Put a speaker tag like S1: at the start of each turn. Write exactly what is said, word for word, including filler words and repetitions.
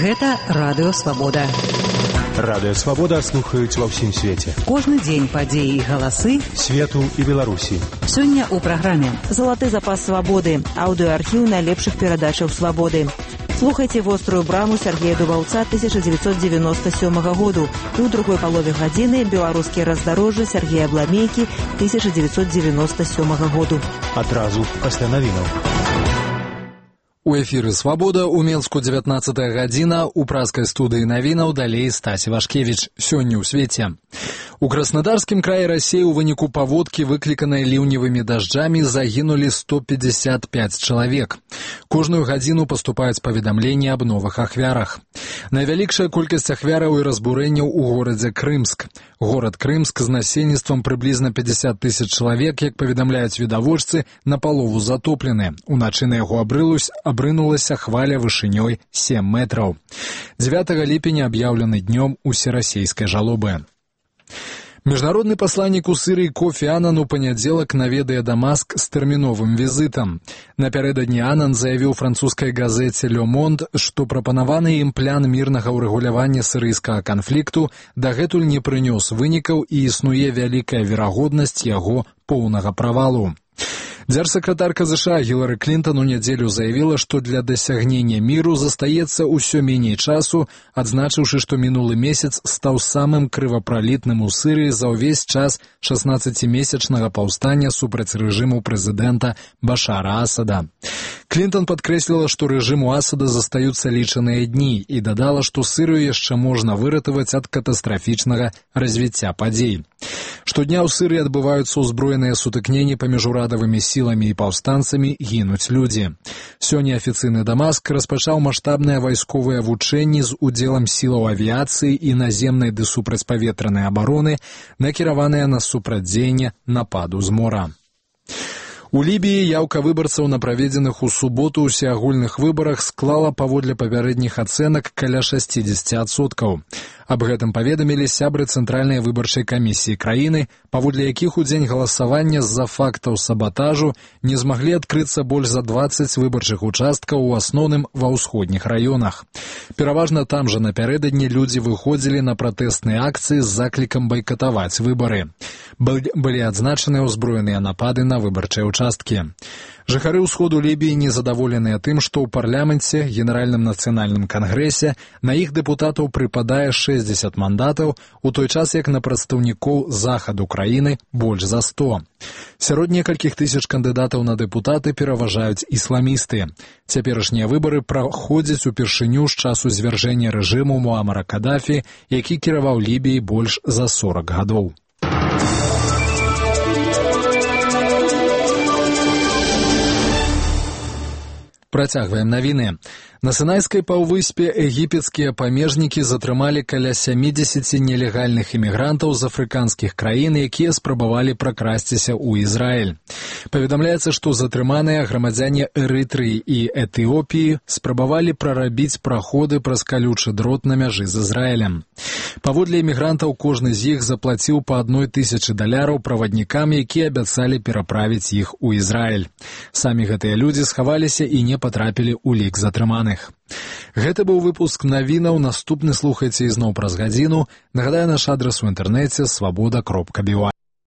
S1: Гэта Радыё Свабода.
S2: Радыё Свабода слухаюць ва ўсім свеце.
S1: Кожны дзень падзеі і галасы
S2: свету і Беларусі.
S1: Сёння ў праграме
S3: «Залаты запас свабоды», аўдыоархіў найлепшых перадачаў свабоды. Слухайце «Вострую браму» Сергея Дубаўца тысяча дзевяцьсот девяносто седьмого году і ў другой палове гадзіны «Беларускія раздарожжы» Сергея Бламейкі тысяча дзевяцьсот девяносто седьмого году.
S2: Адразу пасля навінаў.
S4: У эфіры «Свабода» у Менску дзевятнаццатая гадзіна, у праскай студыі навінаў далей Стась Івашкевіч. Сёння ў свеце. У Краснодарскім краі Расіі ў выніку паводкі, выкліканай ліўневымі дажджамі, загінулі сто пятьдесят пять чалавек. Кожную гадзіну паступаюць паведамленні аб новых ахвярах. Найвялікшая колькасць ахвяраў і разбурэнняў у горадзе Крымск. Горад Крымск з насельніцтвам прыблізна пятьдесят тысяч чалавек, як паведамляюць відавочцы, напалову затоплены. Уначы на яго абрылусь абрынулася хваля вышынёй сем метраў. дзевятага ліпеня аб'яўлены днём усерасійскай жалобы. Міжнародны пасланнік у Сірыі Кофі Анан у панядзелак наведае Дамаск з тэрміновым візітам. Напярэдадні Анан заявіў французскай газеце «Ле Монд», што прапанаваны ім план мірнага ўрэгулявання сірыйскага канфлікту дагэтуль не прынёс вынікаў і існуе вялікая верагоднасць яго поўнага правалу. Дзяржсакратарка ЗША Гілары Клінтон у нядзелю заявіла, што для дасягнення міру застаецца ўсё меней часу, адзначыўшы, што минулы месяц стаў самым крывапралітным у Сірыі за ўвесь час шаснаццацімесячнага паўстання супраць рэжыму прэзідэнта Башара Асада. Клінтон падкрэсліла, што рэжыму Асада застаюцца лічаныя дні і дадала, што Сірыю яшчэ можна выратаваць ад катастрафічнага развіцця падзей. Штодня ў Сірыі адбываюцца ўзброеныя сутыкненні паміж урадавымі сіламі і паўстанцамі, гінуць людзі. Сёння афіцыйны Дамаск распачаў маштабныя вайсковыя вучэнні з удзелам сілаў авіяцыі і наземнай ды супрацьпаветранай абароны, накіраваныя на супрацьдзеянне нападу з мора. У Лібіі яўка выбарцаў на праведзеных у суботу ўсеагульных выбарах склала паводле папярэдніх ацэнак каля шэсцідзесят адсоткаў. Аб гэтым паведамілі сябры Цэнтральнай выбарчай камісіі краіны, паводле якіх у дзень галасавання з-за фактаў сабатажу не змаглі адкрыцца больш за дваццаць выбарчых участкаў, у асноўным ва ўсходніх раёнах. Пераважна там жа напярэдадні людзі выходзілі на пратэсныя акцыі з заклікам байкатаваць выбары. Былі адзначаныя ўзброеныя напады на выбарчыя участкі. Жыхары ўсходу Лібіі незадаволеныя тым, што ў парламенце, Генеральным нацыянальным кангрэсе на іх дэпутатаў прыпадае шэсцьдзесят мандатаў, у той час як на прадстаўнікоў захаду краіны больш за сто. Сярод некалькіх тысяч кандыдатаў на дэпутаты пераважаюць ісламісты. Цяперашнія выбары праходзяць упершыню з часу звяржэння рэжыму Муамара Кадафі, які кіраваў Лібіяй больш за сорок гадоў. Працягваем навіны. На Сінайскай паўвыспе егіпецкія памежнікі затрымалі каля сямідзесят нелегальных імігрантаў з афрыканскіх краін, якія спрабавалі пракрасціся ў Ізраіль. Паведамляецца, што затрыманыя грамадзяне Эрытрыі і Этыопіі спрабавалі прарабіць праходы праз калючы дрот на мяжы з Ізраілем. Паводле імігрантаў кожны з іх заплаціў па адной тысячы даляраў праваднікам, якія абяцалі пераправіць іх у Ізраіль. Самі гэтыя людзі схаваліся і не патрапілі ў лік затрыманых. Гэта быў выпуск навінаў, наступны слухайце ізноў праз гадзіну. Нагадаю, наш адрас у інтэрнэце свабода кропка бі вай.